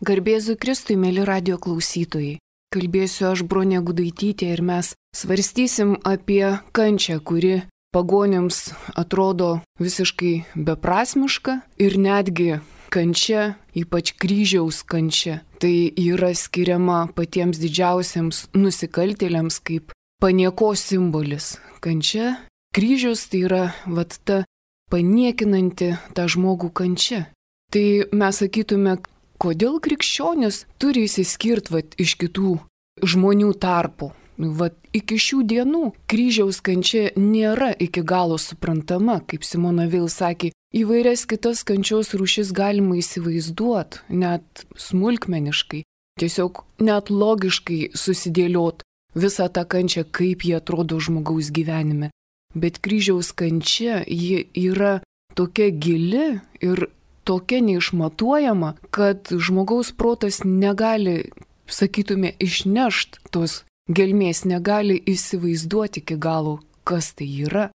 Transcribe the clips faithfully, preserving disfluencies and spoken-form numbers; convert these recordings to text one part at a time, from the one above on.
Garbėzu Kristui, mėly radio klausytojai. Kalbėsiu aš, Bronė Gudaitytė, ir mes svarstysim apie kančią, kuri pagonims atrodo visiškai beprasmiška ir netgi kančia, ypač kryžiaus kančia, tai yra skiriama patiems didžiausiams nusikaltėliams kaip paniekos simbolis. Kančia, kryžius tai yra vat ta paniekinanti tą žmogų kančia. Tai mes sakytume, kodėl krikščionis turi įsiskirti vat, iš kitų žmonių tarpų. Vat, iki šių dienų kryžiaus kančia nėra iki galo suprantama, kaip Simona Veil sakė, įvairias kitas kančios rūšis galima įsivaizduoti, net smulkmeniškai, tiesiog net logiškai susidėliot visą tą kančią, kaip jie atrodo žmogaus gyvenime. Bet kryžiaus kančia, ji yra tokia gili ir tokia neišmatuojama, kad žmogaus protas negali, sakytume, išnešt tos gelmės, negali įsivaizduoti iki galo, kas tai yra.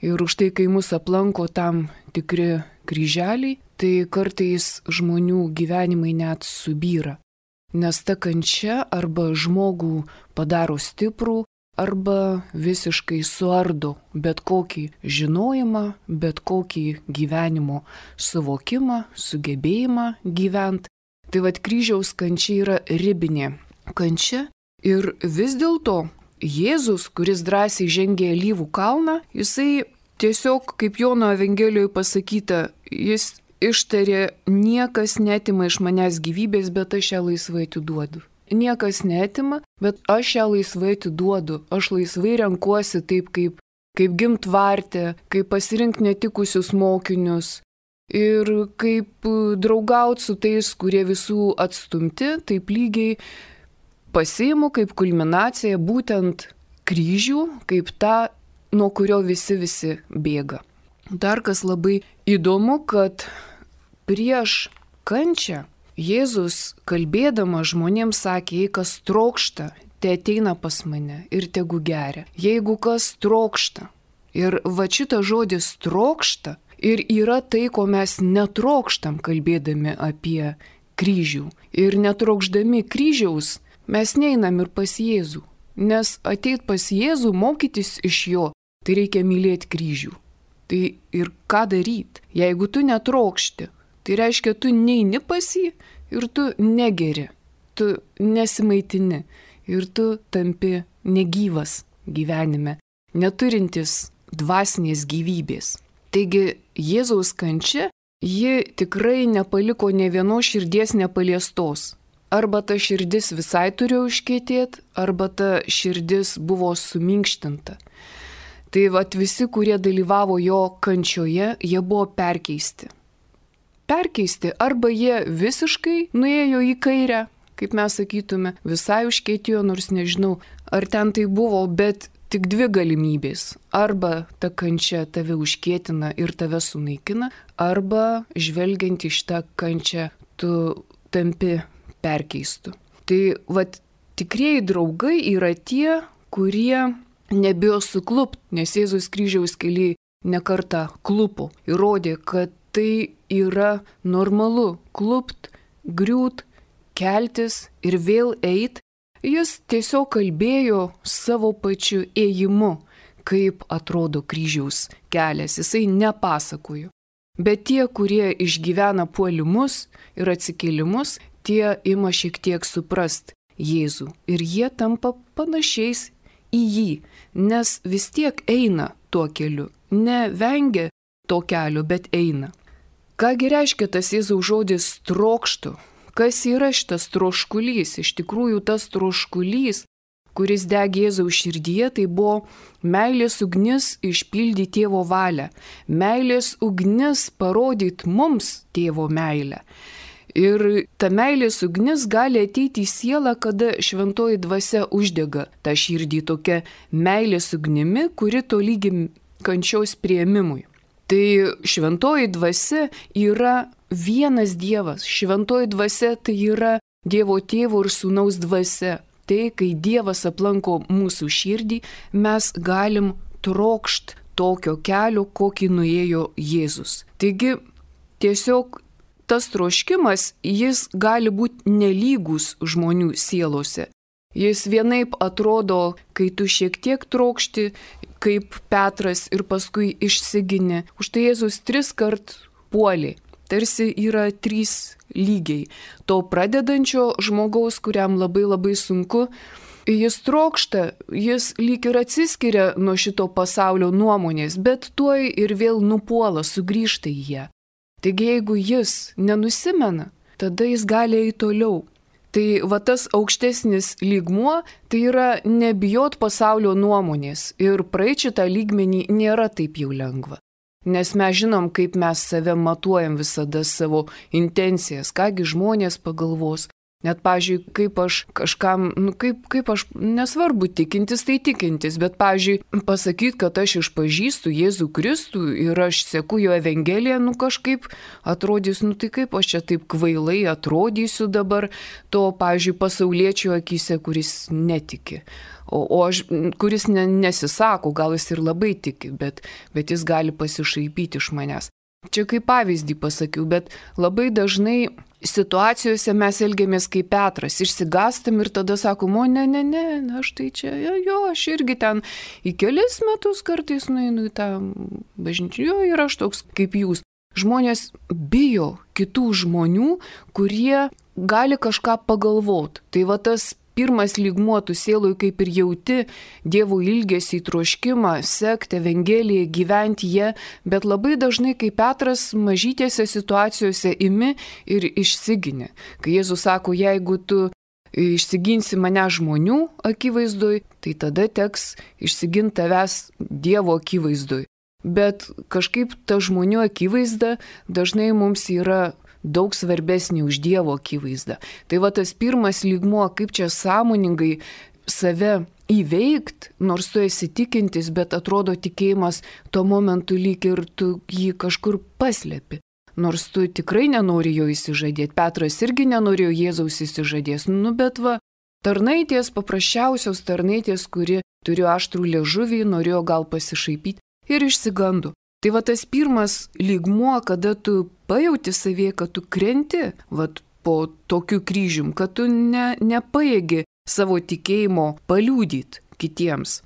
Ir už tai, kai mus aplanko tam tikri kryželiai, tai kartais žmonių gyvenimai net subyra. Nes ta kančia arba žmogų padaro stiprų, arba visiškai suardo bet kokį žinojimą, bet kokį gyvenimo suvokimą, sugebėjimą gyventi. Tai vad kryžiaus kančia yra ribinė kančia ir vis dėlto Jėzus, kuris drąsiai žengė Alyvų kalną, jisai tiesiog, kaip Jono Evangelijoje pasakyta, jis ištarė, niekas netima iš manęs gyvybės, bet aš ją laisvai atiduodu. Niekas netima, bet aš ją laisvai atiduodu, aš laisvai renkuosi taip, kaip, kaip gimt vartę, kaip pasirinkti netikusius mokinius ir kaip draugauti su tais, kurie visų atstumti, taip lygiai pasiimu kaip kulminaciją būtent kryžių, kaip tą, nuo kurio visi visi bėga. Dar kas labai įdomu, kad prieš kančią Jėzus, kalbėdama žmonėms, sakė, jei kas trokšta, te ateina pas mane ir tegu geria. Jeigu kas trokšta. Ir va šitas žodis trokšta ir yra tai, ko mes netrokštam, kalbėdami apie kryžių. Ir netrokšdami kryžiaus mes neinam ir pas Jėzų. Nes ateit pas Jėzų, mokytis iš jo, tai reikia mylėti kryžių. Tai ir ką daryti? Jeigu tu netrokšti, tai reiškia, tu neini pas jį ir tu negeri, tu nesimaitini ir tu tampi negyvas gyvenime, neturintis dvasinės gyvybės. Taigi Jėzaus kančia, ji tikrai nepaliko nė vienos širdies nepaliestos. Arba ta širdis visai turėjo užkietėti, arba ta širdis buvo suminkštinta. Tai vat visi, kurie dalyvavo jo kančioje, jie buvo perkeisti. Perkeisti, arba jie visiškai nuėjo į kairę, kaip mes sakytume, visai užkietėjo, nors nežinau, ar ten tai buvo, bet tik dvi galimybės. Arba ta kančia tave užkietina ir tave sunaikina, arba žvelgiant iš tą kančią tu tampi perkeistu. Tai vat tikrieji draugai yra tie, kurie nebijo suklupt, nes Jėzus kryžiaus kely nekartą klupo ir rodė, kad tai yra normalu klupt, griūt, keltis ir vėl eit. Jis tiesiog kalbėjo savo pačiu ėjimu, kaip atrodo kryžiaus kelias. Jisai nepasakojo. Bet tie, kurie išgyvena puolimus ir atsikėlimus, tie ima šiek tiek suprast Jėzų. Ir jie tampa panašiais į jį, nes vis tiek eina tuo keliu. Nevengia to kelio, bet eina. Kągi reiškia tas Jėzaus žodis trokštu? Kas yra šitas troškulys? Iš tikrųjų tas troškulys, kuris degė Jėzaus širdyje, tai buvo meilės ugnis išpildyti tėvo valią. Meilės ugnis parodyti mums tėvo meilę. Ir ta meilės ugnis gali ateiti į sielą, kada šventoji dvasia uždega tą širdį tokia meilės ugnimi, kuri tolygi kančios priėmimui. Tai šventoji dvasia yra vienas Dievas. Šventoji dvasia tai yra Dievo tėvo ir sūnaus dvasia. Tai, kai Dievas aplanko mūsų širdį, mes galim trokšt tokio kelio, kokį nuėjo Jėzus. Taigi, tiesiog tas troškimas, jis gali būti nelygus žmonių sielose. Jis vienaip atrodo, kai tu šiek tiek trokšti, kaip Petras ir paskui išsigini. Užtai Jėzus tris kart puolė. Tarsi yra trys lygiai. To pradedančio žmogaus, kuriam labai labai sunku, jis trokšta, jis lyg ir atsiskiria nuo šito pasaulio nuomonės, bet tuoj ir vėl nupuola, sugrįžta į ją. Taigi jeigu jis nenusimena, tada jis gali eiti toliau. Tai va tas aukštesnis lygmuo, tai yra nebijot pasaulio nuomonės ir praeiti šitą lygmenį nėra taip jau lengva. Nes mes žinom, kaip mes save matuojam visada savo intencijas, kągi žmonės pagalvos. Net, pavyzdžiui, kaip aš kažkam, nu kaip, kaip aš, nesvarbu tikintis, tai tikintis, bet, pavyzdžiui, pasakyti, kad aš išpažįstu Jėzų Kristų ir aš seku jo Evangeliją, nu kažkaip atrodys, nu tai kaip aš čia taip kvailai atrodysiu dabar to, pavyzdžiui, pasauliečio akyse, kuris netiki. O, o aš, kuris ne, nesisako, gal jis ir labai tiki, bet, bet jis gali pasišaipyti iš manęs. Čia kaip pavyzdį pasakiau, bet labai dažnai situacijose mes elgiamės kaip Petras, išsigastam ir tada sakom, o ne, ne, ne, aš tai čia, jo, jo, aš irgi ten į kelis metus kartais nueinu į tą bažnyčią, jo, ir aš toks kaip jūs. Žmonės bijo kitų žmonių, kurie gali kažką pagalvoti. Tai va tas pirmas lygmuo, tu sieloj kaip ir jauti Dievo ilgesį, troškimą, sekti Evangeliją, gyventi ją, bet labai dažnai kaip Petras mažytėse situacijose imi ir išsigini. Kai Jėzus sako, jeigu tu išsiginsi mane žmonių akivaizdoj, tai tada teks išsiginti tavęs Dievo akivaizdoj. Bet kažkaip ta žmonių akivaizda dažnai mums yra daug svarbesnį už Dievo akivaizdą. Tai va tas pirmas lygmuo, kaip čia sąmoningai save įveikt, nors tu esi tikintis, bet atrodo tikėjimas tuo momentu lyg ir tu jį kažkur paslėpi. Nors tu tikrai nenori jo įsižadėti. Petras irgi nenorėjo Jėzaus įsižadės. Nu bet va, tarnaitės, paprasčiausios tarnaitės, kuri turėjo aštrų liežuvį, norėjo gal pasišaipyti ir išsigando. Tai va tas pirmas lygmuo, kada tu pajauti savie, kad tu krenti vat, po tokiu kryžium, kad tu ne, nepajėgi savo tikėjimo paliūdyti kitiems.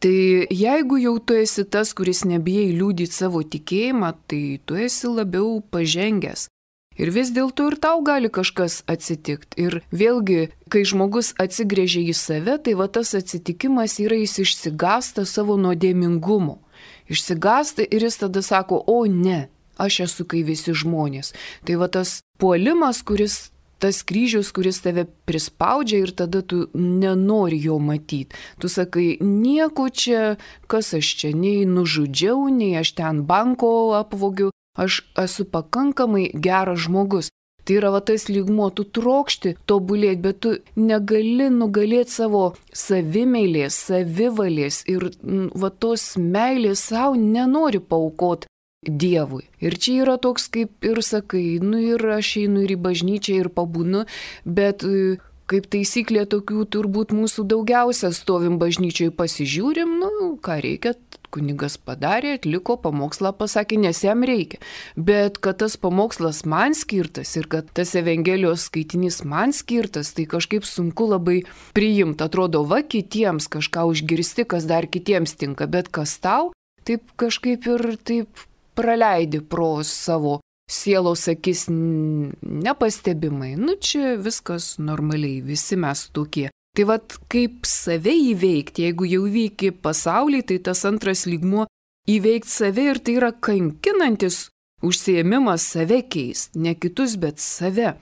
Tai jeigu jau tu esi tas, kuris nebijai liūdyti savo tikėjimą, tai tu esi labiau pažengęs. Ir vis dėlto ir tau gali kažkas atsitikti. Ir vėlgi, kai žmogus atsigrėžia į save, tai va tas atsitikimas yra, jis išsigąsta savo nuodėmingumo. Išsigąsta ir jis tada sako, o ne, aš esu kai visi žmonės. Tai va tas puolimas, kuris, tas kryžius, kuris tave prispaudžia ir tada tu nenori jo matyti. Tu sakai, nieko čia, kas aš čia, nei nužudžiau, nei aš ten banko apvogiu, aš esu pakankamai geras žmogus. Tai yra va tas lygmuo, tu trokšti tobulėti, bet tu negali nugalėti savo savimeilės, savivalės ir va tos meilės savo nenori paaukoti Dievui. Ir čia yra toks, kaip ir sakai, nu ir aš einu ir į bažnyčią ir pabūnu, bet kaip taisyklė tokių turbūt mūsų daugiausia stovim bažnyčiai pasižiūrim, nu ką reikia, kunigas padarė, atliko pamokslą, pasakė, nes jam reikia. Bet kad tas pamokslas man skirtas ir kad tas Evangelijos skaitinys man skirtas, tai kažkaip sunku labai priimti. Atrodo, va kitiems kažką užgirsti, kas dar kitiems tinka, bet kas tau, taip kažkaip ir taip praleidi pro savo sielos akis nepastebimai. Nu čia viskas normaliai, visi mes tokie. Tai vat kaip save įveikti, jeigu jau įveiki pasaulį, tai tas antras lygmuo įveikti save ir tai yra kankinantis užsiėmimas save keist, ne kitus, bet save.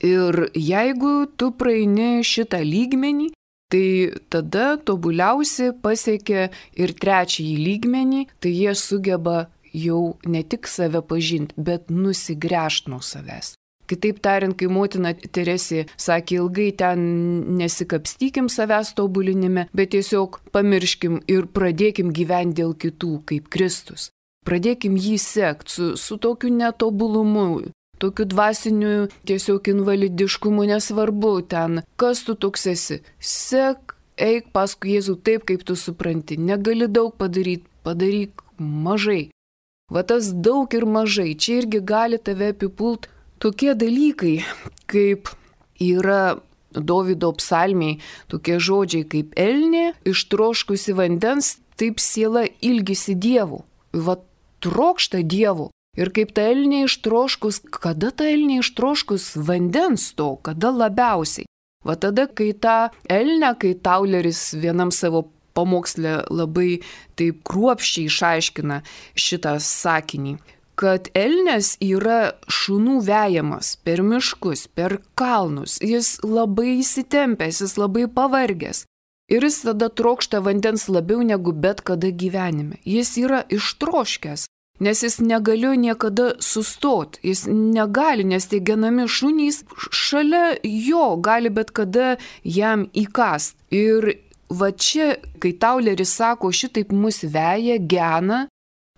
Ir jeigu tu praeini šitą lygmenį, tai tada tobuliausi pasiekia ir trečiąjį lygmenį, tai jie sugeba jau ne tik save pažinti, bet nusigręžti nuo savęs. Kitaip tariant, kai motina Teresė sakė, ilgai ten nesikapstykim savęs tobulinime, bet tiesiog pamirškim ir pradėkim gyventi dėl kitų, kaip Kristus. Pradėkim jį sekti su, su tokiu netobulumu, tokiu dvasiniu tiesiog invalidiškumu, nesvarbu ten, kas tu toks esi. Sek, eik paskui Jėzų taip, kaip tu supranti. Negali daug padaryti, padaryk mažai. Va tas daug ir mažai, čia irgi gali tave apipult tokie dalykai, kaip yra Dovydo psalmiai, tokie žodžiai kaip elnė, ištroškusi vandens, taip siela ilgisi Dievo. Va trokšta Dievo. Ir kaip ta elnė ištroškus, kada ta elnė ištroškus vandens to, kada labiausiai. Va tada, kai tą elnę, kai Tauleris vienam savo pamoksle labai taip kruopščiai išaiškina šitą sakinį, kad elnias yra šunų vejamas per miškus, per kalnus, jis labai įsitempęs, jis labai pavargęs. Ir jis tada trokšta vandens labiau negu bet kada gyvenime. Jis yra ištroškęs, nes jis negalėjo niekada sustoti, jis negali, nes tie genami šunys šalia jo gali bet kada jam įkast. Ir va čia, kai Tauleris sako, šitaip mus veja, gena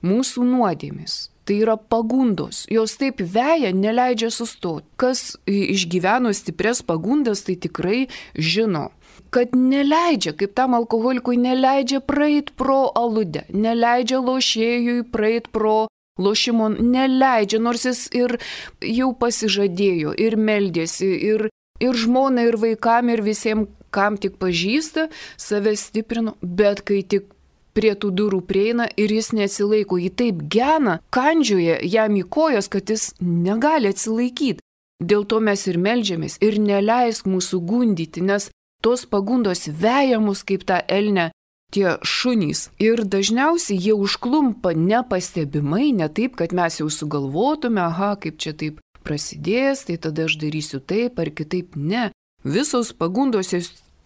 mūsų nuodėmis. Tai yra pagundos, jos taip veja, neleidžia sustoti. Kas išgyveno stiprias pagundas, tai tikrai žino, kad neleidžia, kaip tam alkoholikui, neleidžia praeit pro aludę, neleidžia lošėjui praeit pro lošimo, neleidžia, nors jis ir jau pasižadėjo, ir meldėsi, ir, ir žmona, ir vaikam, ir visiems, kam tik pažįsta, save stiprino, bet kai tik prie tų durų prieina ir jis neatsilaiko, jį taip gena, kandžioja jam į kojas, kad jis negali atsilaikyti. Dėl to mes ir meldžiamės ir neleisk mūsų gundyti, nes tos pagundos veja mus kaip tą elnę tie šunys. Ir dažniausiai jie užklumpa nepastebimai, ne taip, kad mes jau sugalvotume, aha, kaip čia taip prasidės, tai tada aš darysiu taip ar kitaip. Ne, visos pagundos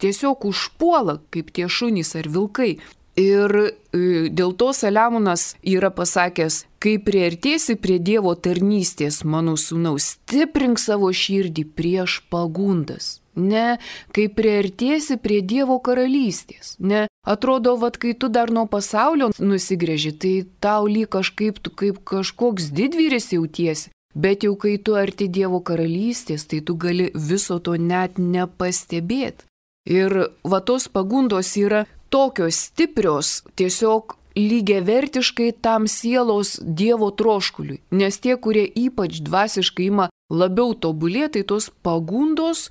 tiesiog užpuola kaip tie šunys ar vilkai. Ir dėl to Saliamonas yra pasakęs, kai priartėsi prie Dievo tarnystės, mano sūnaus, stiprink savo širdį prieš pagundas. Ne, kai priartėsi prie Dievo karalystės. Ne, atrodo, vat, kai tu dar nuo pasaulio nusigrėži, tai tau lyg kažkaip tu kaip kažkoks didvyris jautiesi. Bet jau kai tu arti Dievo karalystės, tai tu gali viso to net nepastebėti. Ir va tos pagundos yra tokios stiprios, tiesiog lygiavertiškai tam sielos Dievo troškuliui. Nes tie, kurie ypač dvasiškai ima labiau tobulėti, tai tos pagundos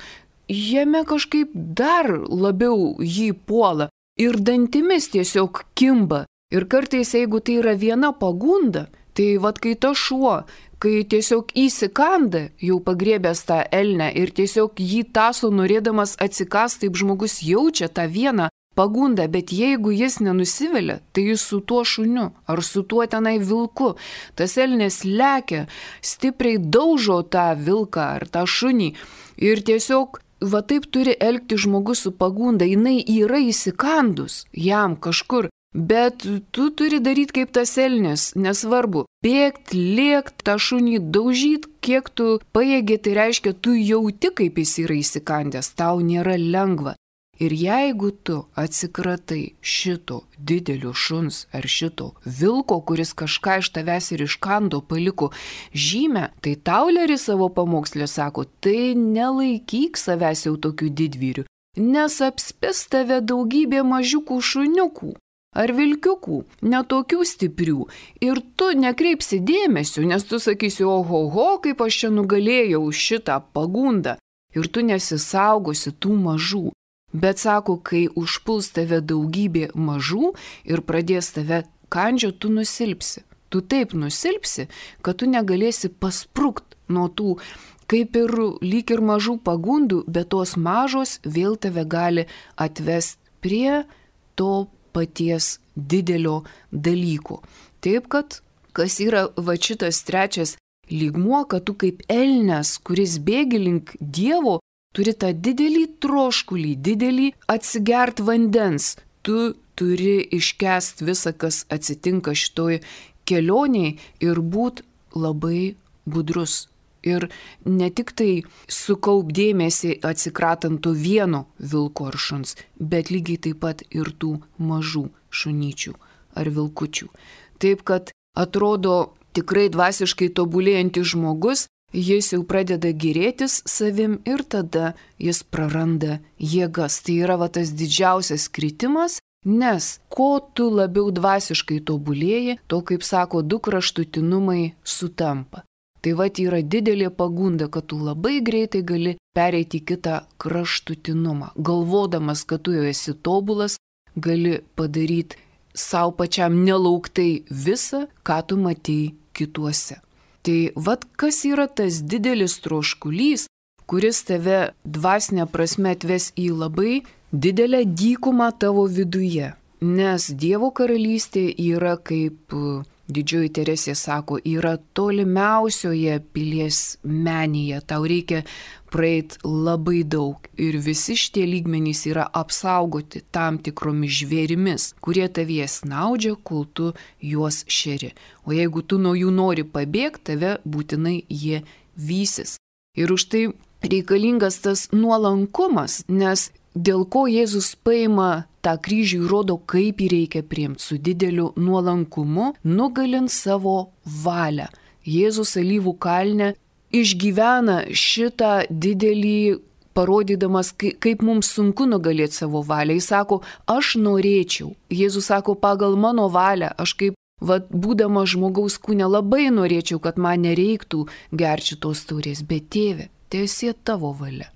jame kažkaip dar labiau jį puola. Ir dantimis tiesiog kimba. Ir kartais, jeigu tai yra viena pagunda, tai vad kai ta šuo, kai tiesiog įsikanda, jau pagriebęs tą elnę ir tiesiog jį taso norėdamas atsikast, taip žmogus jaučia tą vieną pagundą, bet jeigu jis nenusivelia, tai jis su tuo šuniu ar su tuo tenai vilku. Tas elnės lekia, stipriai daužo tą vilką ar tą šunį ir tiesiog va taip turi elgti žmogus su pagunda, jinai yra įsikandus jam kažkur. Bet tu turi daryti kaip tas elnis, nesvarbu. Bėgt, lėkt, tą šunį daužyti, kiek tu pajėgi, tai reiškia, tu jauti, kaip jis yra įsikandęs, tau nėra lengva. Ir jeigu tu atsikratai šito didelio šuns ar šito vilko, kuris kažką iš tavęs ir iškando, paliko žymę, tai Tauleris savo pamokslė sako, tai nelaikyk savęs jau tokių didvyrių, nes apspės tave daugybė mažiukų šuniukų ar vilkiukų, netokių stiprių. Ir tu nekreipsi dėmesio, nes tu sakysi, oho, ho, kaip aš čia nugalėjau šitą pagundą. Ir tu nesisaugosi tų mažų. Bet sako, kai užpuls tave daugybė mažų ir pradės tave kandžio, tu nusilpsi. Tu taip nusilpsi, kad tu negalėsi pasprukt nuo tų, kaip ir lyg ir mažų pagundų, bet tos mažos vėl tave gali atvesti prie to paties didelio dalyko. Taip, kad kas yra va šitas trečias lygmuo, kad tu kaip elnias, kuris bėgi link Dievo, turi tą didelį troškulį, didelį atsigert vandens. Tu turi iškęst visą, kas atsitinka šitoj kelionėje ir būt labai budrus. Ir ne tik tai sukaup dėmesį atsikratant to vieno vilko ar šuns, bet lygiai taip pat ir tų mažų šunyčių ar vilkučių. Taip, kad atrodo tikrai dvasiškai tobulėjantis žmogus, jis jau pradeda gėrėtis savim ir tada jis praranda jėgas. Tai yra va tas didžiausias kritimas, nes ko tu labiau dvasiškai tobulėji, to, kaip sako, du kraštutinumai sutampa. Tai vat yra didelė pagunda, kad tu labai greitai gali pereiti į kitą kraštutinumą. Galvodamas, kad tu jau esi tobulas, gali padaryti savo pačiam nelauktai visą, ką tu matei kituose. Tai vat kas yra tas didelis troškulys, kuris tave dvasinė prasme atves į labai didelę dykumą tavo viduje. Nes Dievo karalystė yra, kaip Didžioji Teresė sako, yra tolimiausioje pilies menėje. Tau reikia praeiti labai daug ir visi šitie lygmenys yra apsaugoti tam tikromis žvėrimis, kurie tavyje snaudžia, kol tu juos šeri. O jeigu tu nuo jų nori pabėgti, tave būtinai jie vysis. Ir už tai reikalingas tas nuolankumas, nes dėl ko Jėzus paima tą kryžių ir rodo, kaip jį reikia priimti su dideliu nuolankumu, nugalint savo valią. Jėzus Alyvų kalne išgyvena šitą didelį, parodydamas, kaip mums sunku nugalėti savo valią. Jis sako, aš norėčiau. Jėzus sako, pagal mano valią, aš kaip, vat, būdama žmogaus kūne, labai norėčiau, kad man nereiktų gerti šitos taurės, bet tėve, teesie tavo valia.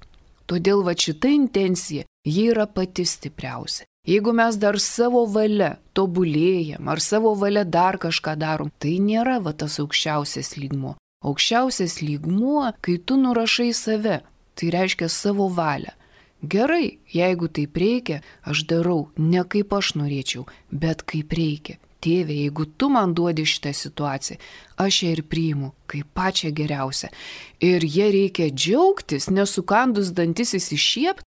Todėl va šita intencija, ji yra pati stipriausia. Jeigu mes dar savo valia tobulėjam ar savo valia dar kažką darom, tai nėra va tas aukščiausias lygmuo. Aukščiausias lygmuo, kai tu nurašai save, tai reiškia savo valią. Gerai, jeigu taip reikia, aš darau ne kaip aš norėčiau, bet kaip reikia. Tėve, jeigu tu man duodi šitą situaciją, aš ją ir priimu kaip pačią geriausią. Ir jie reikia džiaugtis, nesukandus dantis įsišiept,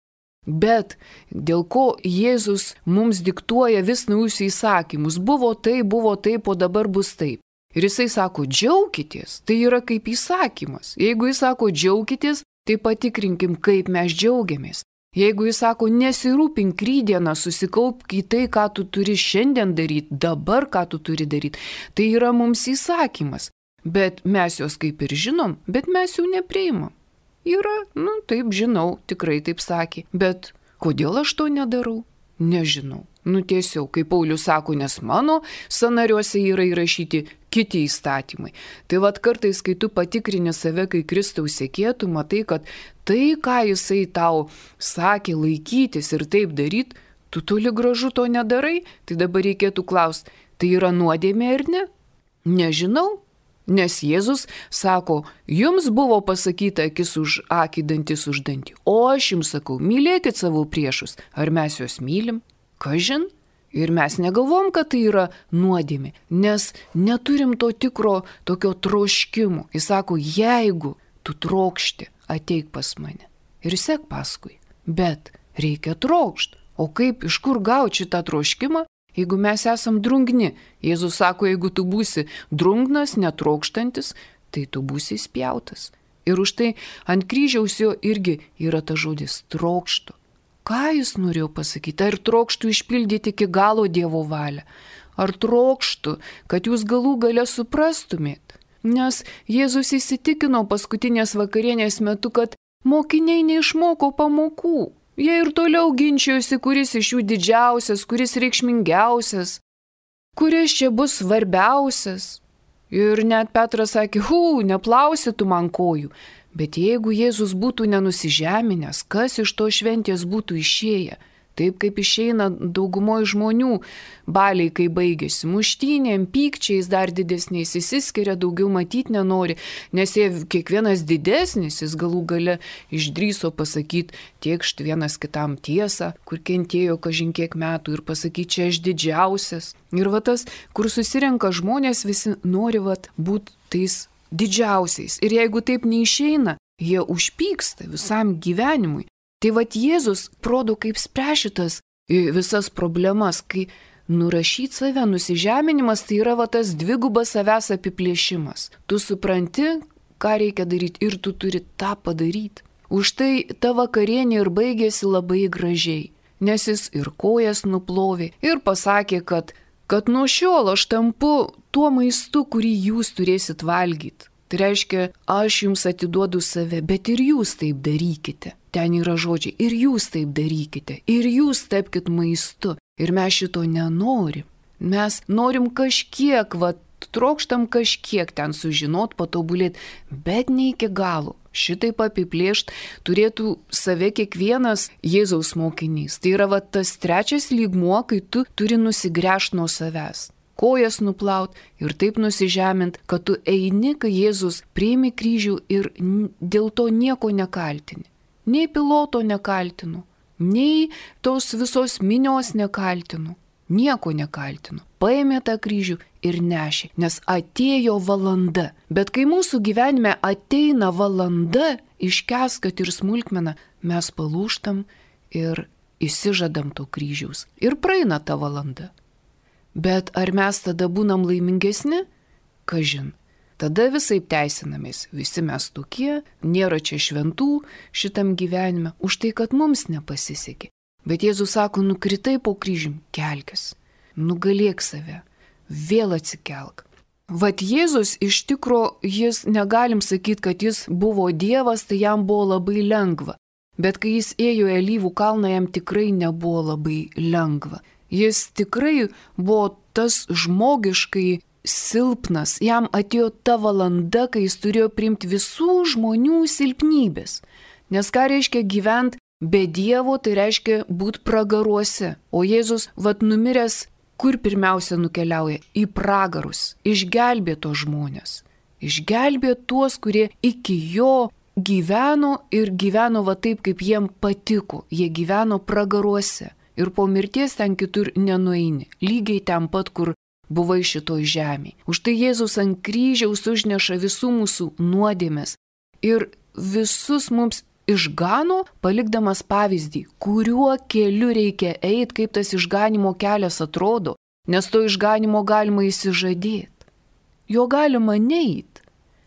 bet dėl ko Jėzus mums diktuoja vis naujus įsakymus. Buvo taip, buvo taip, o dabar bus taip. Ir jisai sako, džiaukitės, tai yra kaip įsakymas. Jeigu jis sako, džiaukitės, tai patikrinkim, kaip mes džiaugiamės. Jeigu jis sako, nesirūpink rytdieną, susikaupk į tai, ką tu turi šiandien daryti, dabar ką tu turi daryti, tai yra mums įsakymas. Bet mes jos kaip ir žinom, bet mes jų nepriimam. Yra, nu taip žinau, tikrai taip sakė, bet kodėl aš to nedarau? Nežinau. Nu tiesiog, kaip Paulius sako, nes mano sąnariuose yra įrašyti kiti įstatymai. Tai vad kartais, kai tu patikrini save, kai Kristaus sekėtų, matai, kad tai, ką jisai tau sakė laikytis ir taip daryti, tu toli gražu to nedarai, tai dabar reikėtų klausti, tai yra nuodėmė ar ne? Nežinau. Nes Jėzus sako, jums buvo pasakyta akis už akį, dantis už dantį, o aš jums sakau, mylėkit savo priešus, ar mes juos mylim? Kažin? Ir mes negalvom, kad tai yra nuodėmė, nes neturim to tikro tokio troškimo. Jis sako, jeigu tu trokšti, ateik pas mane ir sek paskui, bet reikia trokšti. O kaip, iš kur gauti šitą troškimą? Jeigu mes esam drungni, Jėzus sako, jeigu tu būsi drungnas, netrokštantis, tai tu būsi spjautas. Ir už tai ant kryžiaus jo irgi yra ta žodis trokštų. Ką jis norėjo pasakyti? Ar trokštų išpildyti iki galo Dievo valią? Ar trokštų, kad jūs galų gale suprastumėt? Nes Jėzus įsitikino paskutinės vakarienės metu, kad mokiniai neišmoko pamokų. Jie ir toliau ginčijosi, kuris iš jų didžiausias, kuris reikšmingiausias, kuris čia bus svarbiausias. Ir net Petras sakė, hu, neplausi tu man kojų. Bet jeigu Jėzus būtų nenusižeminęs, kas iš to šventės būtų išėję? Taip kaip išeina daugumoje žmonių baliai, kai baigėsi. Muštynėm, pykčiais dar didesniais, įsiskiria, daugiau matyti nenori, nes jie kiekvienas didesnis, jis galų gale išdryso pasakyti tiekšt vienas kitam tiesą, kur kentėjo kažin kiek metų ir pasakyti, čia aš didžiausias. Ir va tas, kur susirenka žmonės, visi nori va būti tais didžiausiais. Ir jeigu taip neišeina, jie užpyksta visam gyvenimui. Tai vat Jėzus rodo, kaip spręšitas visas problemas, kai nurašyti save, nusižeminimas, tai yra va tas dvigubas savęs apiplėšimas. Tu supranti, ką reikia daryti ir tu turi tą padaryti. Už tai ta vakarienė ir baigėsi labai gražiai, nes jis ir kojas nuplovė ir pasakė, kad, kad nuo šiol aš tampu tuo maistu, kurį jūs turėsit valgyti. Tai reiškia, aš jums atiduodu save, bet ir jūs taip darykite. Ten yra žodžiai, ir jūs taip darykite, ir jūs tapkite maistu. Ir mes šito nenorim. Mes norim kažkiek, va, trokštam kažkiek ten sužinot, patobulėti, bet ne iki galo. Šitaip apiplėšt turėtų save kiekvienas Jėzaus mokinys. Tai yra va, tas trečias lygmuo, kai tu turi nusigręžti nuo savęs. Kojas nuplaut ir taip nusižemint, kad tu eini, kai Jėzus priimi kryžių ir dėl to nieko nekaltini. Nei piloto nekaltinu, nei tos visos minios nekaltinu, nieko nekaltinu. Paėmė tą kryžių ir nešė, nes atėjo valanda. Bet kai mūsų gyvenime ateina valanda, iškęs, kad ir smulkmena, mes palūžtam ir išsižadam to kryžiaus. Ir praeina ta valanda. Bet ar mes tada būnam laimingesni? Kažin. Tada visaip teisinamės. Visi mes tokie, nėra čia šventų šitam gyvenime, už tai, kad mums nepasisekė. Bet Jėzus sako, nukritai po kryžium, kelkis, nugalėk save, vėl atsikelk. Vat Jėzus iš tikro, jis negalim sakyti, kad jis buvo Dievas, tai jam buvo labai lengva. Bet kai jis ėjo į Alyvų kalną, jam tikrai nebuvo labai lengva. Jis tikrai buvo tas žmogiškai silpnas, jam atėjo ta valanda, kai jis turėjo priimti visų žmonių silpnybės. Nes ką reiškia gyventi be Dievo, tai reiškia būti pragaruose. O Jėzus, vat numiręs, kur pirmiausia nukeliauja? Į pragarus, išgelbė tos žmonės. Išgelbė tuos, kurie iki jo gyveno ir gyveno va taip, kaip jiem patiko. Jie gyveno pragaruose. Ir po mirties ten kitur nenueini, lygiai ten pat, kur buvai šitoj žemėje. Už tai Jėzus ant kryžiaus užneša visų mūsų nuodėmes ir visus mums išgano, palikdamas pavyzdį, kuriuo keliu reikia eiti, kaip tas išganimo kelias atrodo, nes to išganimo galima įsižadėti. Jo galima neit,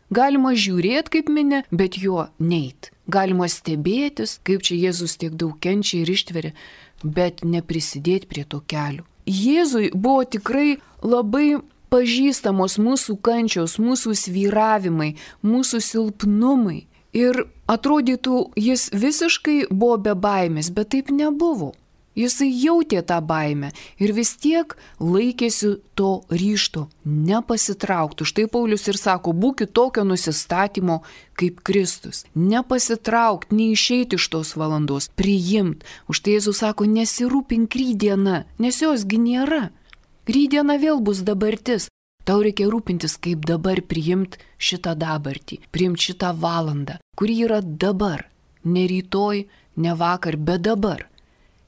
galima žiūrėti kaip minė, bet jo neit. Galima stebėtis, kaip čia Jėzus tiek daug kenčia ir ištveria, bet neprisidėti prie to kelio. Jėzui buvo tikrai labai pažįstamos mūsų kančios, mūsų svyravimai, mūsų silpnumai. Ir atrodytų, jis visiškai buvo be baimės, bet taip nebuvo. Jisai jautė tą baimę ir vis tiek laikėsi to ryžto nepasitraukti. Štai Paulius ir sako, būkit tokio nusistatymo kaip Kristus. Nepasitraukti, neišeiti iš tos valandos, priimt. Už tai Jėzus sako, nesirūpink rytdiena, nes josgi nėra. Rytdiena vėl bus dabartis. Tau reikia rūpintis, kaip dabar priimti šitą dabartį, priimti šitą valandą, kuri yra dabar, ne rytoj, ne vakar, bet dabar.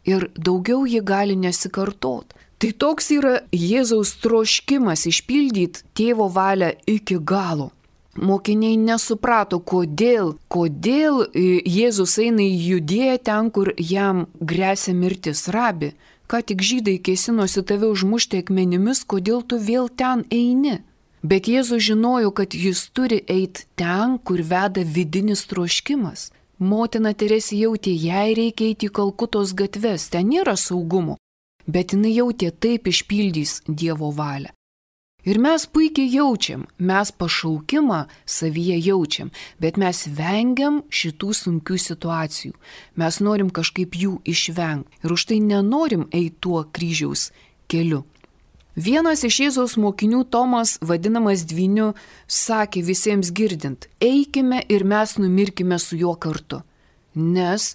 Ir daugiau jį gali nesikartot. Tai toks yra Jėzaus troškimas išpildyti tėvo valią iki galo. Mokiniai nesuprato, kodėl, kodėl Jėzus eina į Judėją ten, kur jam gresia mirtis. Rabi, ką tik žydai kėsinosi tave užmušti akmenimis, kodėl tu vėl ten eini? Bet Jėzus žinojo, kad jis turi eiti ten, kur veda vidinis troškimas. Motina Teresė jautė, jai reikia eiti į Kalkutos gatves, ten nėra saugumo, bet jinai jautė, taip išpildys Dievo valią. Ir mes puikiai jaučiam, mes pašaukimą savyje jaučiam, bet mes vengiam šitų sunkių situacijų. Mes norim kažkaip jų išvengti ir už tai nenorim eiti tuo kryžiaus keliu. Vienas iš Jėzaus mokinių, Tomas, vadinamas Dvyniu, sakė visiems girdint, eikime ir mes numirkime su juo kartu. Nes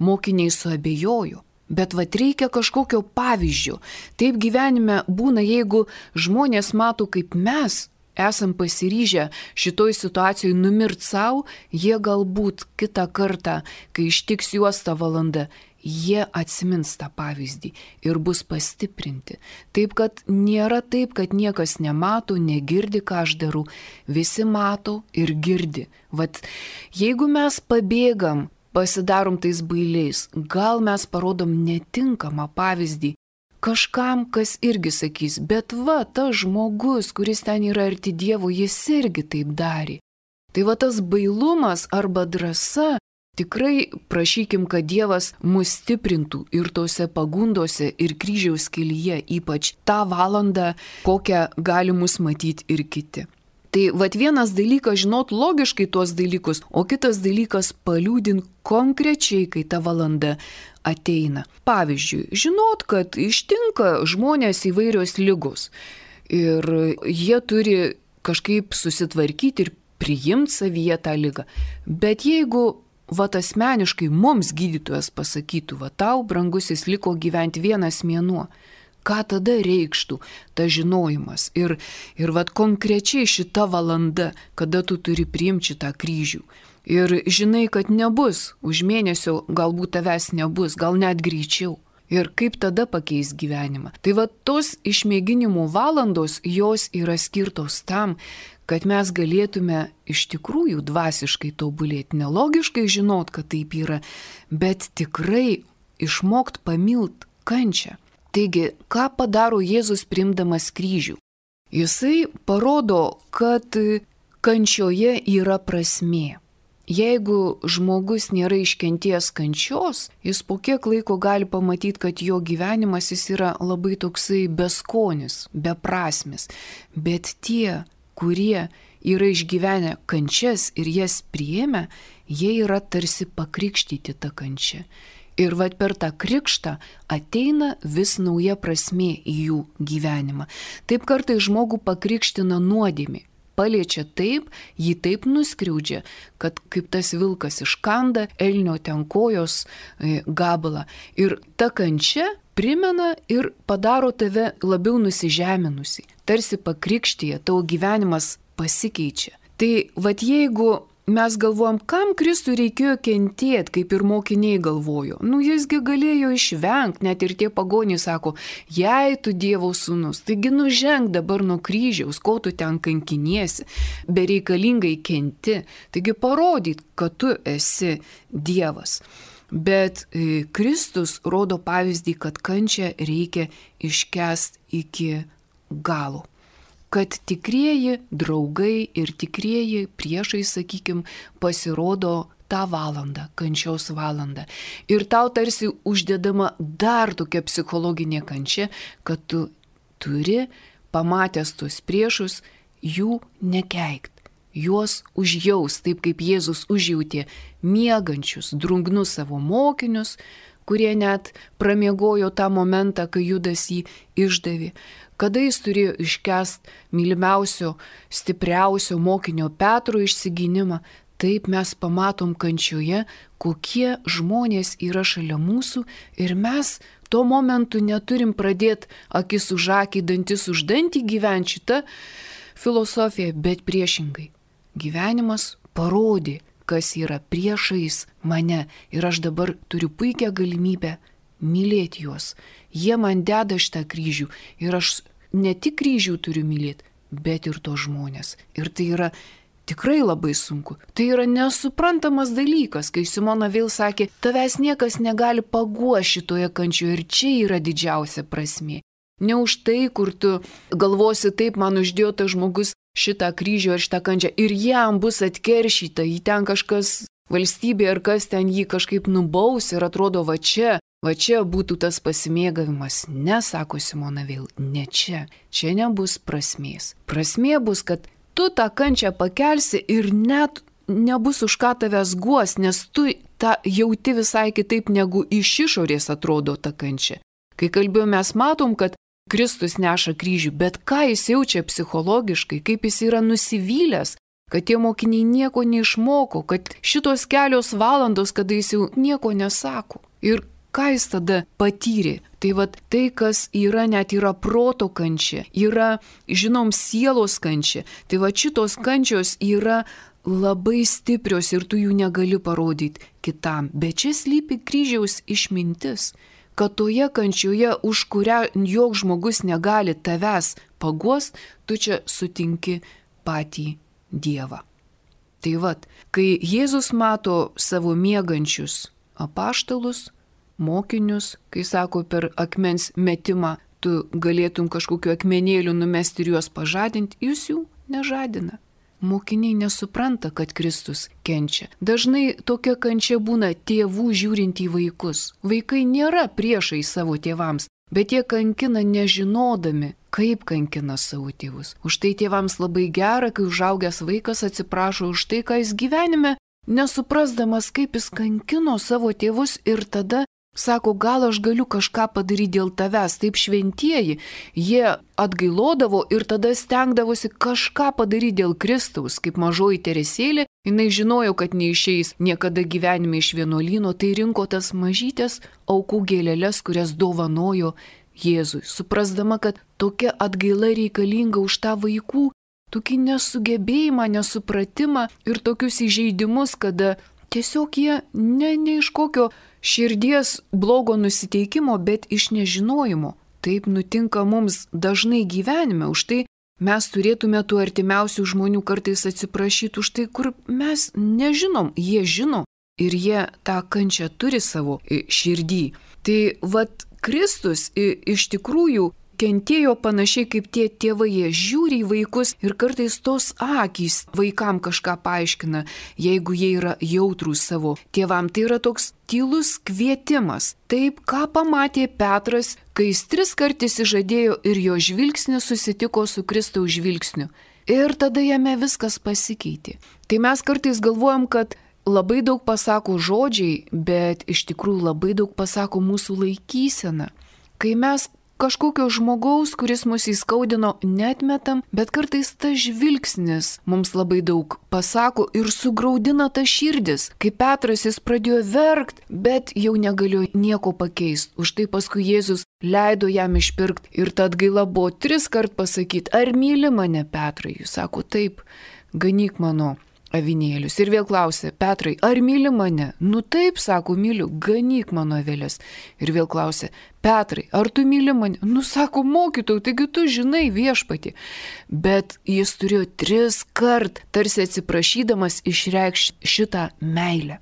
mokiniai suabejojo, bet vat reikia kažkokio pavyzdžio. Taip gyvenime būna, jeigu žmonės mato, kaip mes esam pasiryžę šitoj situacijoje numirt savo, jie galbūt kitą kartą, kai ištiks juos tą valandą, jie atsimins tą pavyzdį ir bus pastiprinti. Taip, kad nėra taip, kad niekas nemato, negirdi, ką aš darau. Visi mato ir girdi. Vat, jeigu mes pabėgam, pasidarom tais bailiais, gal mes parodom netinkamą pavyzdį kažkam, kas irgi sakys, bet va, tas žmogus, kuris ten yra arti Dievo, jis irgi taip darė. Tai va tas bailumas arba drąsa, tikrai prašykim, kad Dievas mus stiprintų ir tose pagundose ir kryžiaus kelyje, ypač tą valandą, kokią gali mus matyti ir kiti. Tai vat vienas dalykas žinot logiškai tuos dalykus, o kitas dalykas paliūdint konkrečiai, kai ta valanda ateina. Pavyzdžiui, žinot, kad ištinka žmonės įvairios ligos. Ir jie turi kažkaip susitvarkyti ir priimti savyje tą ligą. Bet jeigu vat asmeniškai mums gydytojas pasakytų, va tau, brangusis, liko gyventi vienas mėnuo, ką tada reikštų ta žinojimas? Ir, ir vat konkrečiai šita valanda, kada tu turi priimti šitą kryžių. Ir žinai, kad nebus, už mėnesio galbūt tavęs nebus, gal net greičiau. Ir kaip tada pakeis gyvenimą? Tai va tos išmėginimų valandos, jos yra skirtos tam, kad mes galėtume iš tikrųjų dvasiškai tobulėti, nelogiškai žinot, kad taip yra, bet tikrai išmokt pamilt kančią. Taigi, ką padaro Jėzus priimdamas kryžių? Jisai parodo, kad kančioje yra prasmė. Jeigu žmogus nėra iškenties kančios, jis po kiek laiko gali pamatyti, kad jo gyvenimas jis yra labai toksai beskonis, beprasmis. Bet tie, kurie yra išgyvenę kančias ir jas priėmę, jie yra tarsi pakrikštyti tą kančią. Ir vat per tą krikštą ateina vis nauja prasmė į jų gyvenimą. Taip kartais žmogų pakrikština nuodėmė. Paliečia taip, jį taip nuskriaudžia, kad kaip tas vilkas iškanda elnio ten kojos e, gabalą. Ir ta kančia primena ir padaro tave labiau nusižeminusi. Tarsi pakrikštyje, tavo gyvenimas pasikeičia. Tai vat jeigu mes galvojam, kam Kristui reikėjo kentėti, kaip ir mokiniai galvojo. Nu, jisgi galėjo išvengti, net ir tie pagonys sako, jei tu Dievo sūnus, taigi nuženk dabar nuo kryžiaus, ko tu ten kankiniesi, bereikalingai kenti, taigi parodyt, kad tu esi Dievas. Bet e, Kristus rodo pavyzdį, kad kančią reikia iškęsti iki galo. Kad tikrieji draugai ir tikrieji priešai, sakykim, pasirodo tą valandą, kančios valandą. Ir tau tarsi uždedama dar tokia psichologinė kančia, kad tu turi, pamatęs tuos priešus, jų nekeikt, juos užjaus, taip kaip Jėzus užjautė miegančius, drungnus savo mokinius, kurie net pramiegojo tą momentą, kai Judas jį išdavė. Kada jis turėjo iškęst mylimiausio, stipriausio mokinio Petro išsigynimą, taip mes pamatom kančioje, kokie žmonės yra šalia mūsų ir mes tuo momentu neturim pradėti akis už akį, dantis už dantį gyventi šitą filosofiją, bet priešingai. Gyvenimas parodė, kas yra priešais mane ir aš dabar turiu puikią galimybę mylėti juos. Jie man deda šitą kryžių ir aš ne tik kryžių turiu mylėti, bet ir to žmonės. Ir tai yra tikrai labai sunku. Tai yra nesuprantamas dalykas, kai Simona vėl sakė, tavęs niekas negali paguosti šitoje kančioje ir čia yra didžiausia prasmė. Ne už tai, kur tu galvosi, taip man uždėjo tas žmogus šitą kryžių ar šitą kančią ir jam bus atkeršyta, jį ten kažkas valstybė ar kas ten jį kažkaip nubaus ir atrodo va čia. Va čia būtų tas pasimėgavimas. Ne, sako Simona vėl, ne čia. Čia nebus prasmės. Prasmė bus, kad tu tą kančią pakelsi ir net nebus už ką tavęs guos, nes tu tą jauti visai kitaip, negu iš išorės atrodo ta kančia. Kai kalbėjome, mes matom, kad Kristus neša kryžių, bet ką jis jaučia psichologiškai, kaip jis yra nusivylęs, kad tie mokiniai nieko neišmoko, kad šitos kelios valandos, kada jis jau nieko nesako. Ir ką jis tada patyrė? Tai vat tai, kas yra, net yra proto kančia, yra, žinom, sielos kančia. Tai vat šitos kančios yra labai stiprios ir tu jų negali parodyti kitam. Bet čia slypi kryžiaus išmintis, kad toje kančioje, už kurią joks žmogus negali tavęs paguost, tu čia sutinki patį Dievą. Tai vat, kai Jėzus mato savo miegančius apaštalus, mokinius, kai sako per akmens metimą, tu galėtum kažkokiu akmenėliu numesti ir juos pažadinti, jūs jų nežadina. Mokiniai nesupranta, kad Kristus kenčia. Dažnai tokia kančia būna tėvų žiūrint į vaikus. Vaikai nėra priešai savo tėvams, bet jie kankina nežinodami, kaip kankina savo tėvus. Už tai tėvams labai gera, kai užaugęs vaikas atsiprašo už tai, ką jis gyvenime, nesuprasdamas, kaip jis kankino savo tėvus ir tada Sako, gal aš galiu kažką padaryti dėl tavęs. Taip šventieji, jie atgailodavo ir tada stengdavosi kažką padaryti dėl Kristaus. Kaip mažoji Teresėlė, jinai žinojo, kad neišeis niekada gyvenime iš vienuolyno, tai rinko tas mažytės aukų gėlelės, kurias dovanojo Jėzui. Suprasdama, kad tokia atgaila reikalinga už tą vaikų, tokį nesugebėjimą, nesupratimą ir tokius įžeidimus, kada tiesiog jie ne, ne iš kokio širdies blogo nusiteikimo, bet iš nežinojimo. Taip nutinka mums dažnai gyvenime, už tai mes turėtume tų artimiausių žmonių kartais atsiprašyti už tai, kur mes nežinom, jie žino ir jie tą kančią turi savo širdį. Tai vat Kristus iš tikrųjų kentėjo panašiai kaip tie tėvai, jie žiūri į vaikus ir kartais tos akys vaikam kažką paaiškina, jeigu jie yra jautrūs savo tėvam. Tai yra toks tylus kvietimas. Taip, ką pamatė Petras, kai jis tris kartus įžadėjo ir jo žvilgsnis susitiko su Kristaus žvilgsniu. Ir tada jame viskas pasikeitė. Tai mes kartais galvojam, kad labai daug pasako žodžiai, bet iš tikrųjų labai daug pasako mūsų laikysena. Kai mes kažkokio žmogaus, kuris mus įskaudino, netmetam, bet kartais tas žvilgsnis mums labai daug pasako ir sugraudina tas širdis. Kai Petras jis pradėjo verkt, bet jau negalėjo nieko pakeisti. Už tai paskui Jėzus leido jam išpirkti ir ta atgaila buvo tris kart pasakyti, ar myli mane, Petrai? Jis sako, taip, ganyk mano avinėlius. Ir vėl klausė, Petrai, ar myli mane? Nu taip, sako, myliu, ganyk mano avelės. Ir vėl klausė, Petrai, ar tu myli mane? Nu sako, mokytojau, taigi tu žinai viešpatį. Bet jis turėjo tris kart, tarsi atsiprašydamas, išreikšti šitą meilę.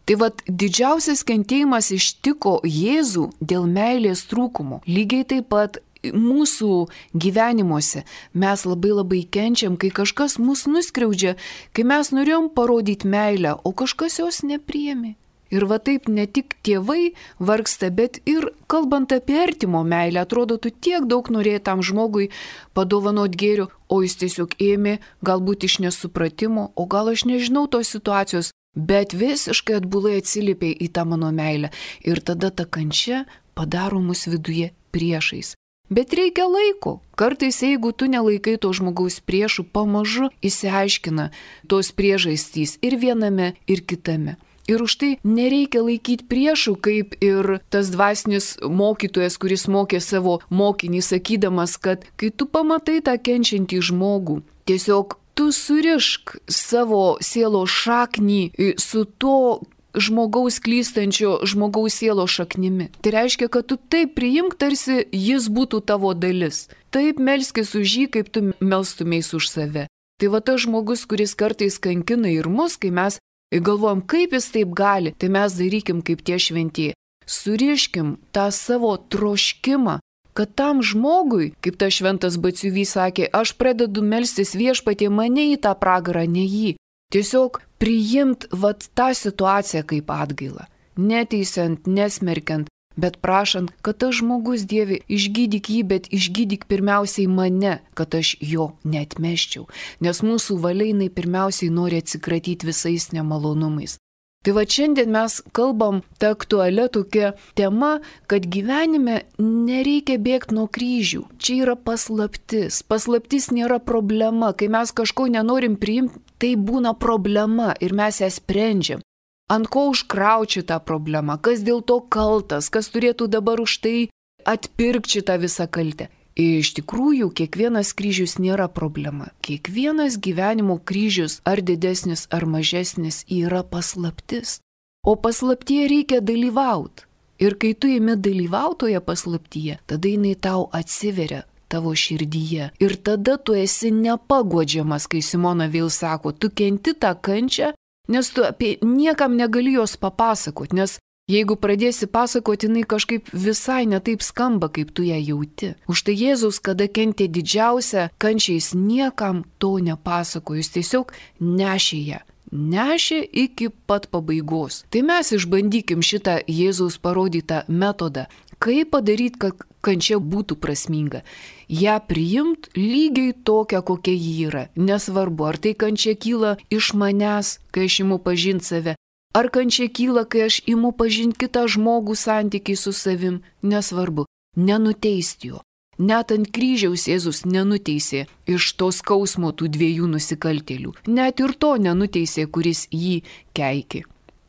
Tai vat didžiausias kentėjimas ištiko Jėzų dėl meilės trūkumo. Lygiai taip pat mūsų gyvenimuose mes labai labai kenčiam, kai kažkas mus nuskriaudžia, kai mes norėjom parodyti meilę, o kažkas jos nepriėmė. Ir va taip ne tik tėvai vargsta, bet ir kalbant apie artimo meilę, atrodo, tu tiek daug norėjai tam žmogui padovanot gėrio, o jis tiesiog ėmė, galbūt iš nesupratimo, o gal aš nežinau tos situacijos, bet visiškai atbulai atsiliepė į tą mano meilę. Ir tada ta kančia padaro mus viduje priešais. Bet reikia laiko. Kartais, jeigu tu nelaikai to žmogaus priešų, pamažu įsiaiškina tos priežastys ir viename, ir kitame. Ir už tai nereikia laikyti priešų, kaip ir tas dvasinis mokytojas, kuris mokė savo mokinį, sakydamas, kad kai tu pamatai tą kenčiantį žmogų, tiesiog tu surišk savo sielos šaknį su to žmogaus klystančio žmogaus sielo šaknimi. Tai reiškia, kad tu taip priimk, tarsi jis būtų tavo dalis. Taip melskis už jį, kaip tu melstumės už save. Tai va tas žmogus, kuris kartais kankina ir mus, kai mes galvojam, kaip jis taip gali, tai mes darykim kaip tie šventieji. Suriškim tą savo troškimą, kad tam žmogui, kaip tas šventas Batsiuvys sakė, aš pradedu melstis viešpatie mane į tą pragarą, ne jį. Tiesiog priimt vat tą situaciją kaip atgailą, neteisiant, nesmerkiant, bet prašant, kad tas žmogus, Dieve, išgydyk jį, bet išgydyk pirmiausiai mane, kad aš jo neatmesčiau, nes mūsų valiai pirmiausiai nori atsikratyti visais nemalonumais. Tai va šiandien mes kalbam tą aktualią tokią temą, kad gyvenime nereikia bėgti nuo kryžių. Čia yra paslaptis. Paslaptis nėra problema. Kai mes kažko nenorim priimti, tai būna problema ir mes ją sprendžiam. Ant ko užkrauti tą problemą, kas dėl to kaltas, kas turėtų dabar už tai atpirkti šitą visą kaltę. Ir iš tikrųjų, kiekvienas kryžius nėra problema. Kiekvienas gyvenimo kryžius, ar didesnis, ar mažesnis, yra paslaptis. O paslaptyje reikia dalyvauti. Ir kai tu imi dalyvautoje paslaptyje, tada jinai tau atsiveria tavo širdyje. Ir tada tu esi nepaguodžiamas, kai Simona vėl sako, tu kenti tą kančią, nes tu apie niekam negali jos papasakoti, nes jeigu pradėsi pasakoti, jinai kažkaip visai netaip skamba, kaip tu ją jauti. Už tai Jėzus, kada kentė didžiausią kančią, jis niekam to nepasako, jis tiesiog nešė ją. Nešė iki pat pabaigos. Tai mes išbandykim šitą Jėzaus parodytą metodą. Kaip padaryti, kad kančia būtų prasminga? Ja priimt lygiai tokią, kokia ji yra. Nesvarbu, ar tai kančia kyla iš manęs, kai aš imu pažinti save, Ar kančia kyla, kai aš imu pažinti kitą žmogų santykiai su savim, nesvarbu, nenuteisti jo. Net ant kryžiaus Jėzus nenuteisė iš to skausmo tų dviejų nusikaltėlių. Net ir to nenuteisė, kuris jį keikė.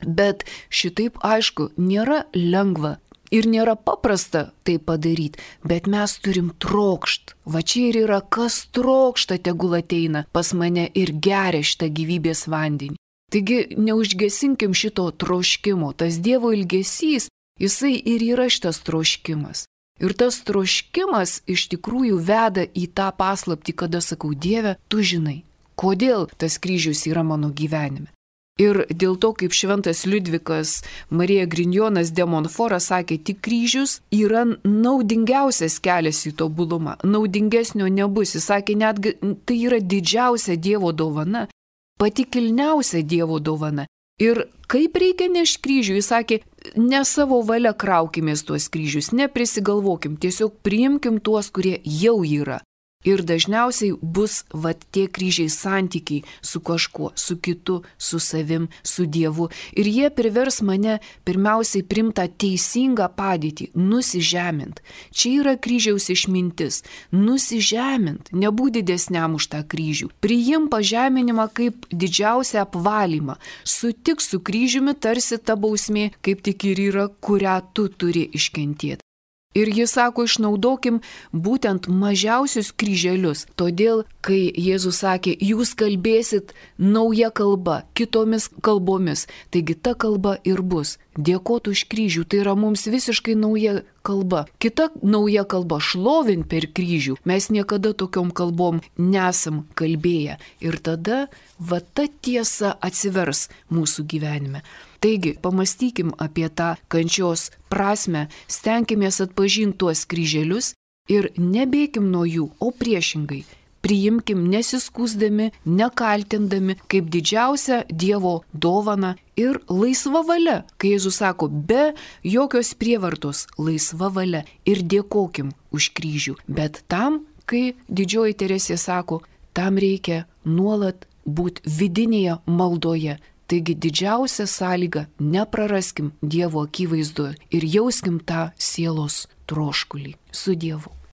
Bet šitaip aišku, nėra lengva ir nėra paprasta tai padaryti, bet mes turim trokšt. Va čia ir yra, kas trokšta, tegul ateina pas mane ir geria šitą gyvybės vandenį. Taigi neužgesinkim šito troškimo, tas Dievo ilgesys, jisai ir yra šitas troškimas. Ir tas troškimas iš tikrųjų veda į tą paslaptį, kada sakau, Dieve, tu žinai, kodėl tas kryžius yra mano gyvenime. Ir dėl to, kaip šventas Liudvikas Marija Grignonas de Montfortas sakė, tik kryžius yra naudingiausias kelias į tobulumą, naudingesnio nebus. Jis sakė, netgi tai yra didžiausia Dievo dovana, pati kilniausia Dievo dovana. Ir kaip reikia nešti kryžių, jis sakė, ne savo valia kraukimės tuos kryžius, neprisigalvokim, tiesiog priimkim tuos, kurie jau yra. Ir dažniausiai bus vat tie kryžiai santykiai su kažkuo, su kitu, su savim, su Dievu. Ir jie privers mane pirmiausiai primtą teisingą padėtį, nusižemint. Čia yra kryžiaus išmintis. Nusižemint, nebūk didesniam už tą kryžių. Priim pažeminimą kaip didžiausią apvalymą. Sutik su kryžiumi, tarsi ta bausmė, kaip tik ir yra, kurią tu turi iškentėti. Ir jis sako, išnaudokim būtent mažiausius kryželius. Todėl, kai Jėzus sakė, jūs kalbėsit nauja kalba, kitomis kalbomis, taigi ta kalba ir bus. Dėkot už kryžių, tai yra mums visiškai nauja kalba. Kita nauja kalba, šlovint per kryžių. Mes niekada tokiom kalbom nesam kalbėję. Ir tada va ta tiesa atsivers mūsų gyvenime. Taigi, pamastykim apie tą kančios prasme, stenkimės atpažinti tuos kryželius ir nebėkim nuo jų, o priešingai. Priimkim nesiskūsdami, nekaltindami, kaip didžiausią Dievo dovaną ir laisva valia. Kai Jėzus sako, be jokios prievartos, laisva valia ir dėkokim už kryžių. Bet tam, kai didžioji Teresė sako, tam reikia nuolat būti vidinėje maldoje. Taigi didžiausia sąlyga – nepraraskim Dievo akivaizdoje ir jauskim tą sielos troškulį su Dievu.